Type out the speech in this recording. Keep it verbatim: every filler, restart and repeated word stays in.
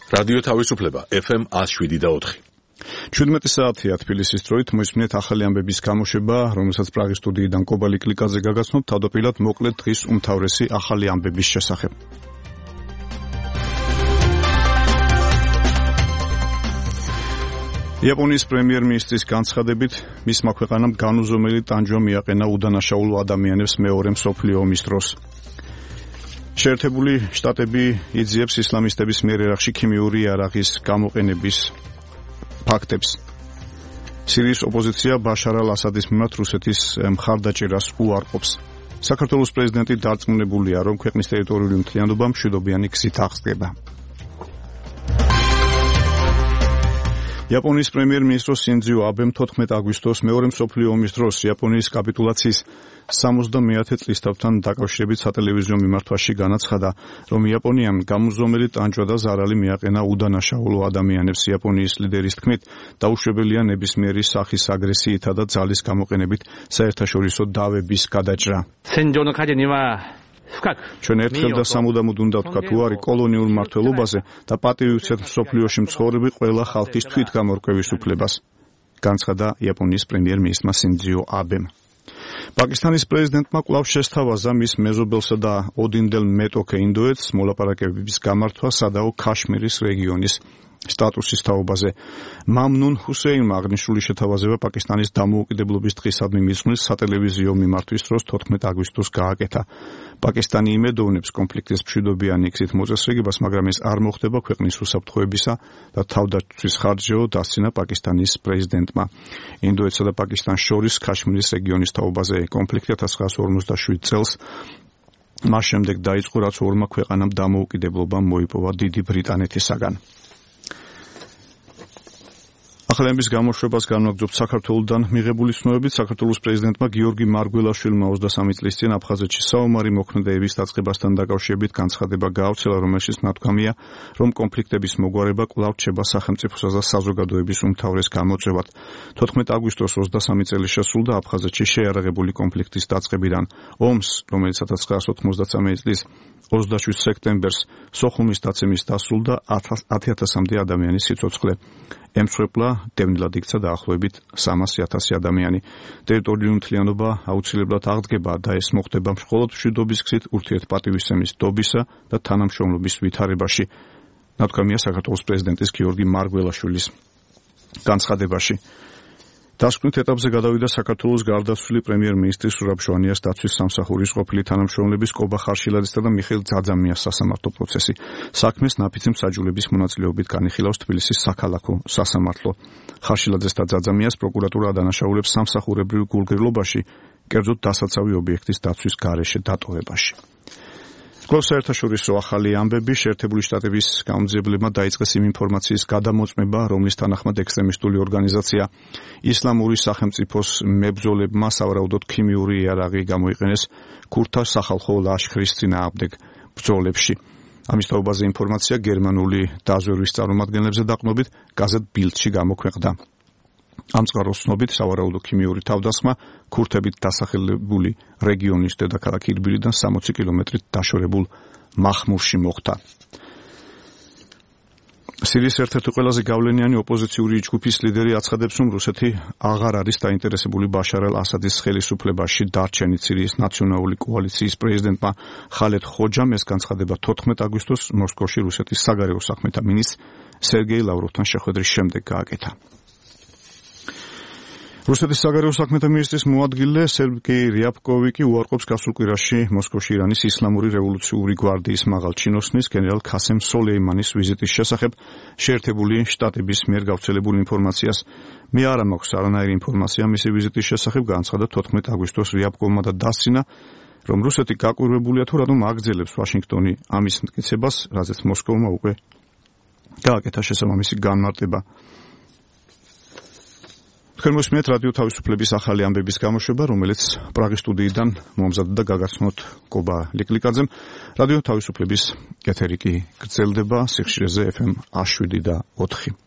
რადიო თავისუფლება ეფ ემ one oh seven და four. ჩვიდმეტი საათია თბილისის დროით მოისმინეთ ახალი ამბების გამოშვება, რომელსაც პრაღის სტუდიიდან კობა ლიკლიკაძე გაგაცნობ თავდაპირველად მოკლედ დღის უმთავრესი ახალი ამბების შესახებ. იაპონიის პრემიერ-მინისტრის განცხადებით, მისმა ქვეყანამ განუზომელი ტანჯვა მიაყენა უდანაშაულო ადამიანებს მეორე მსოფლიო ომის დროს. შეერთებული შტატები იძიებს ისლამისტების მიერ ერაყში ქიმიური იარაღის გამოყენების ფაქტებს. სირიის ოპოზიცია ბაშარ ალ-ასადის მიმართ რუსეთის მხარდაჭერას უარყოფს. საქართველოს პრეზიდენტი დარწმუნებულია, რომ ქვეყნის ტერიტორიული მთლიანობა მშვიდობიანი გზით აღსდგება. იაპონიის პრემიერ-მინისტრო სინძიო აბემ თოთხმეტი აგვისტოს მეორე მსოფლიო ომის დროს იაპონიის კაპიტულაციის სამოცდამეათე წლისთავთან დაკავშირებით სატელევიზიო მიმართვაში განაცხადა, რომ იაპონიამ გამუზომელი ტანჯვა და ზარალი მიაყენა უდანაშაულო ადამიანებს. იაპონიის ლიდერის თქმით, დაუშვებელია ნებისმიერი სახის აგრესიითა და ძალის გამოყენებით საერთაშორისო დავების გადაჭრა. ჩვენ ერთხელ და სამუდამოდ უნდა ვთქვათ, უარი კოლონიურ მმართველობაზე და პატივისცემთ მსოფლიოში მცხოვრები ყველა ხალხის თვითგამორკვევის უფლებას, განცხადა იაპონიის პრემიერ-მინისტრმა სინძიო აბემ. პაკისტანის პრეზიდენტმა კვლავ შესთავაზა მის მეზობელსა და ოდინდელ მეტოქე ინდოეთს მოლაპარაკებების გამართვა სადაო ქაშმირის რეგიონის სტატუსის თაობაზე. მამნუნ ჰუსეინმა აღნიშნული შეთავაზება პაკისტანის დამოუკიდებლობის დღისადმი მისვლის სატელევიზიო მიმართვის დროს თოთხმეტი აგვისტოს გააკეთა. პაკისტანი იმედოვნებს კონფლიქტის მშვიდობიანი გზით მოწესრიგებას, მაგრამ ეს არ მოხდება ქვეყნის უსაფრთხოებისა და თავდაცვის ხარჯეო დასცინა პაკისტანის პრეზიდენტმა. ინდოეთსა და პაკისტანს შორის ქაშმირის რეგიონის თაობაზე კონფლიქტი ათას ცხრაასი ორმოცდაშვიდ წელს მას შემდეგ დაიწყო, რაც ორმა ქვეყანამ დამოუკიდებლობა მოიპოვა დიდი ბრიტანეთისაგან. ახალების გამოშვებას განვაგრძობთ საქართველოსთან მიღებული ცნობებით. საქართველოს პრეზიდენტმა გიორგი მარგველაშვილმა ოცდასამი წლის წინ აფხაზეთში საომარი მოქმედებების დაწყებასთან დაკავშირებით განცხადება გაავრცელა, რომელშიც ნათქვამია, რომ კონფლიქტების მოგვარება კვლავ რჩება სახელმწიფოსა და საზოგადოების უმთავრეს გამოწვევად. თოთხმეტი აგვისტოს ოცდასამი წელი შესრულდა აფხაზეთში შეიარაღებული კონფლიქტის დაწყებიდან. ომს, რომელიც ათას ცხრაასი ოცდამოცდასამი წლის ოცდაშვიდ სექტემბერს სოხუმის დაცემის დასრულდა ათი ათასამდე ადამიანის სიცოცხლე ემსხვერპლა, დევნილად იქცა დაახლოებით სამასი ათასი ადამიანი. ტერიტორიული მთლიანობა აუცილებლად აღდგება და ეს მოხდება მხოლოდ მშვიდობის გზით, ურთიერთპატივისცემის დობისა და თანამშრომლობის ვითარებაში, ნათქვამია საქართველოს პრეზიდენტის გიორგი მარგველაშვილის განცხადებაში. დასკვნით ეტაპზე გადავიდა საქართველოს გარდაცვლილი პრემიერ-მინისტრის სურაბ ჟვანიას დაცვის სამსახურის ყოფილი თანამშრომლების კობა ხარშილაძესა და მიხეილ ძაძამიას სასამართლო პროცესი. საქმეს ნაფიცი მსაჯულების მონაწილეობით განიხილავს თბილისის საქალაქო სასამართლო. ხარშილაძეს და ძაძამიას პროკურატურა ადანაშაულებს სამსახურებრივ გულგრილობაში, კერძოდ დასაცავი ობიექტის დაცვის გარეშე დატოვებაში. კვლავ საერთაშორისო ახალი ამბები. შეერთებული შტატების გამომძიებლებმა დაიწყეს იმ ინფორმაციის გადამოწმება, რომლის თანახმად ექსტრემისტული ორგანიზაცია ისლამური სახელმწიფოს მებრძოლებმა სავარაუდოდ ქიმიური იარაღი გამოიყენეს ქურთა სახალხო ლაშქრის წინააღმდეგ ბრძოლებში. ამის თაობაზე ინფორმაცია გერმანული დაზვერვის წარმომადგენლებზე დაყრდნობით გაზეთ ბილდში გამოქვეყნდა. ამ წყაროს ცნობით სავარაუდო ქიმიური თავდასხმა ქურთებით დასახლებული რეგიონის დედაქალაქ ირბილიდან სამოცი კილომეტრით დაშორებულ მახმურში მოხდა. სირიის ერთ-ერთი ყველაზე გავლენიანი ოპოზიციური ჯგუფის ლიდერი აცხადებს, რომ რუსეთი აღარ არის დაინტერესებული ბაშარ ალ-ასადის ხელისუფლებაში დარჩენით. სირიის ნაციონალური კოალიციის პრეზიდენტმა ხალედ ხოჯამ ეს განცხადება თოთხმეტი აგვისტოს მოსკოვში რუსეთის საგარეო საქმეთა მინისტრ სერგეი ლავროვთან შეხვედრის შემდეგ გააკეთა. რუსეთის საგარეო საქმეთა მინისტრის მოადგილე სერგეი რიაბკოვიკი უარყოფს გასულ კვირაში მოსკოვში ირანის ისლამური რევოლუციური გვარდიის მაღალ ჩინოსნის გენერალ ქასემ სოლეიმანის ვიზიტის შესახებ შეერთებული შტატების მიერ გავრცელებულ ინფორმაციას. მე არ მაქვს არანაირი ინფორმაცია მისი ვიზიტის შესახებ, განცხადა თოთხმეტი აგვისტოს რიაბკოვმა და დასცინა, რომ რუსეთი გაკვირვებულია თუ რატომ აგრძელებს ვაშინგტონი ამის მტკიცებას, რაზეც მოსკოვმა უკვე გააკეთა შესაბამისი განმარტება. თქვენ მოსმენთ რადიო თავისუფლების ახალი ამბების გამოშვება, რომელიც პრაღის სტუდიიდან მომზადდა და გაგაცნოთ კობა ლიკლიკაძემ. რადიო თავისუფლების ეთერი კი გრძელდება სიხშირეზე ეფ ემ one oh seven და four.